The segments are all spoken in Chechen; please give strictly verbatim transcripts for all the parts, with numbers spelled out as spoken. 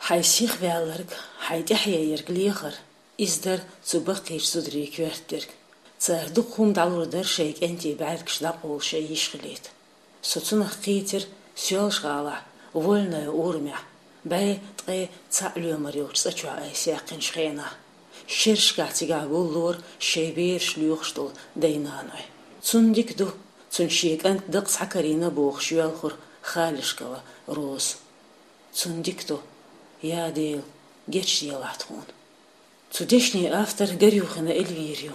Хьай сихваьлларг, хьай тӀехьа ерг лехар, иза дар цу баккхийчу зударийн коьрта дерг. Цара дукха хӀума дӀалур дара шайн кӀентий бӀаьргаш дӀакъовла шайн йиш хилийта. Со цунах кхийтира Соьлжа-ГӀалахь, Вольное урамехь, бӀе ткъе цхьаъ лоьмар йолчу цӀа чохь айса яьккхинчу хенахь. Шерашкахь цигахь гуллора шайн бераш лоьхуш долу дай-наной. Цунна дика ду, цунна шен кӀант дакъа схьакарийна бохуш йоьлхура Халешкова Роза. Цунна дика ду, я Дела, гечделахь тхуна. Цу дешнийн автор Горюхина Эльвира ю.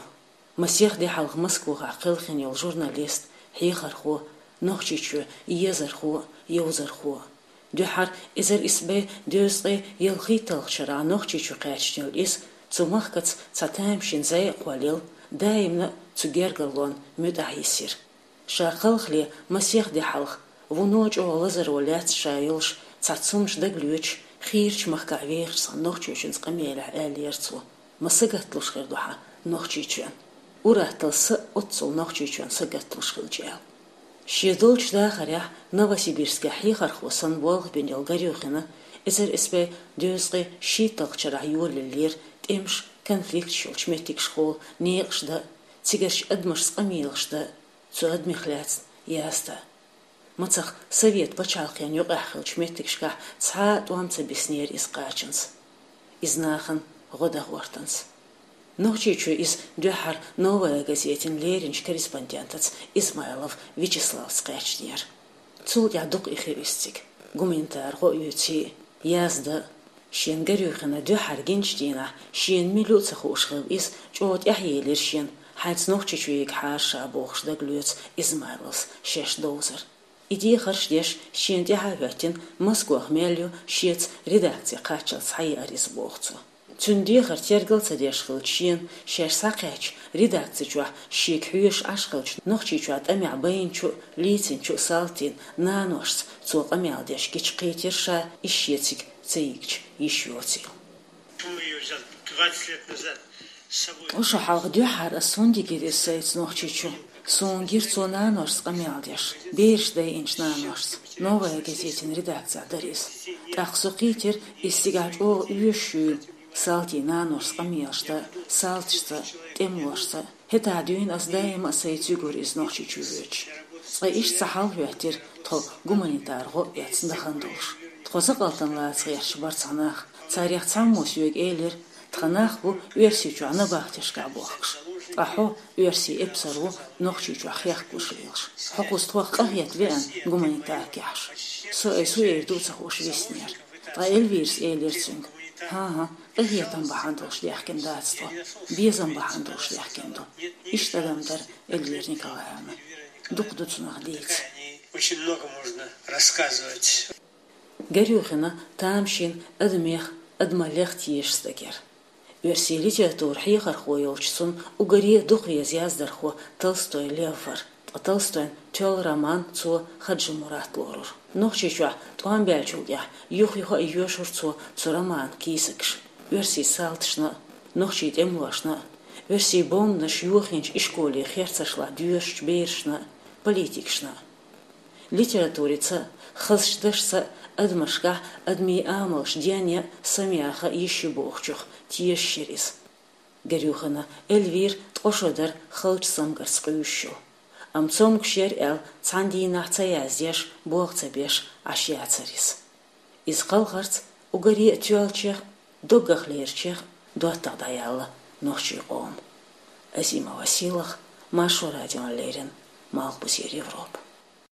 Масех де хьалха Москвахь кхелхина йолу журналист, хьехархо, Нохчийчоь езархо, йовзархо. Дуьххьара эзар исс бӀе дезткъе ялхитталгӀачу шарахь Нохчийчу кхаьчна йолу иза цу махкаца цхьа тамашийна зӀе а кхоллаелла, даимна а цу гергарлонна муьтӀахь йисира. Ша кхалхале масех де хьалха, вуно чӀогӀа лазаро лаьцна ша йолуш, цхьацца хӀуманаш дагалоьцуш, хийрачу махкахь вехаш цхьана нохчочуьнца къамелехь аьллера цо: «Ма сагатдалуш хир ду хьан Нохчийчоьнан. Ур-атталла сан а оццул Нохчийчоьнан сагатдалуш хилча», — аьлла. Шен долчу дахарехь Новосибирскехь хьехархо санна болх бина йолу Горюхина эзар исс бӀе дезткъе шийтталгӀачу шарахь йолаеллера тӀемаш, конфликташ йолчу меттигашкахула некъаш дан а, цигарчу адамашца къамелаш дан а, цу адамех лаьцна яздан а. Мацах совет пачхьалкхенна юкъахь хиллачу меттигашкахь цхьа а тӀом ца биснера иза кхачанца, иза нахана гӀо дан гӀортанца. Нохчийчу иза дуьххьара «Новая газетин» леринчу корреспондентаца Измайлов Вячеславца кхаьчнера. Цул тӀаьхьа дукха и хи уьстиг, гуманитар гӀо оьций, яздан а. Шен Горюхина дуьххьара гиначу дийнахь шена мила ю а ца хууш хилла иза, чӀогӀа тӀаьхьаелира шена, хьайца Нохчийчу егахьара ша бохуш дагалоьцу Измайловс шаьш довзар. И дехарш деш, шена тӀаьхьа а хӀоьттина, Москох мел ю шеца редакци кхаччалц схьаеара иза боху цо. Цуьнан дехар тергал ца деш хилча шена, шаьш схьакхаьчча, редакци чохь шега хьоьжуш Ӏаш хилчу Нохчийчохь тӀамехь байначу а, лийцинчу а Салтин наношца цо къамел деш гича кхийтира ша, иза шецига ца йигча йиш йоцийла. Ткъа шо хьалха дуьххьара ас хӀунда йигира иза сайца Нохчийчу? Суна гира цо наношца къамел деш, бераш дайинчу наношца. «Новая газетин» редакцехь дара иза. ТӀаккха со кхийтира, иза цигахь чӀогӀа оьшуш ю Салтин наношца къамелаш дан а, салташца а, тӀемалошца а. ХӀетахь дуьйна ас даима а сайца йигура иза Нохчийчу воьдуш. Цкъа иштта цхьа хьал хӀоьттира тхо гуманитар гӀо а эцна дахана долуш. Тхо закъалтана лаца гӀерташ бара цхьа нах. Царех цхьаммо соьга элира: «Тхан нах бу Оьрсийчохь набахтешкахь бохкуш. Ткъа хьо, оьрсийн эпсар ву, Нохчийчохь хехкалуш лелаш. Хьо кхуза тхох къахета веана гуманитаркехь». Со айса хӀун эр ду а ца хууш виснера. Ткъа Эльвирас элира цуьнга: «ХӀан-хӀа, къинхетам бахьана долуш даьхкина дац тхо, безам бахьана долуш даьхкина ду». Иштта адам дара Эльвира Николаевна. Дукха ду цунах дийца. Очень много можно рассказывать. Горюхина тамашийна адамех, адамаллех тешаш стаг яра. Оьрсийн литературан хьехархо йолчу цунна уггаре а дукха веза яздархо Толстой Лев вара. Ткъа Толстойн тоьлла роман цо Хаджи-Мурат лорура. Нохчийчохь тӀом баьллачул тӀаьхьа юх-юха а йоьшура цо цу романан кийсакаш оьрсийн салташна а, нохчийн тӀемалошна а, оьрсийн бомбанаш йохийначу ишколе херцашлахь доьшучу берашна а, политикашна а. Литературица а, хазачу дашца а адамашкахь адамийн амалш денъян а, самаяха а йиш ю бохучух тешаш яра иза. Горюхина Эльвира ткъа шо дара халчу цамгарца къуьйсуш йолу. Амма цомгуш яра аьлла, цхьана дийнахь ца яздеш, болх ца беш Ӏаш яцара иза. Иза кхалхарца уггаре а тоьллачех а, доггах лерачех а доттагӀа дӀаяьлла нохчийн къоман. Азимова Сийлаха, Маршо радиона леррина, Малхбузера Европа.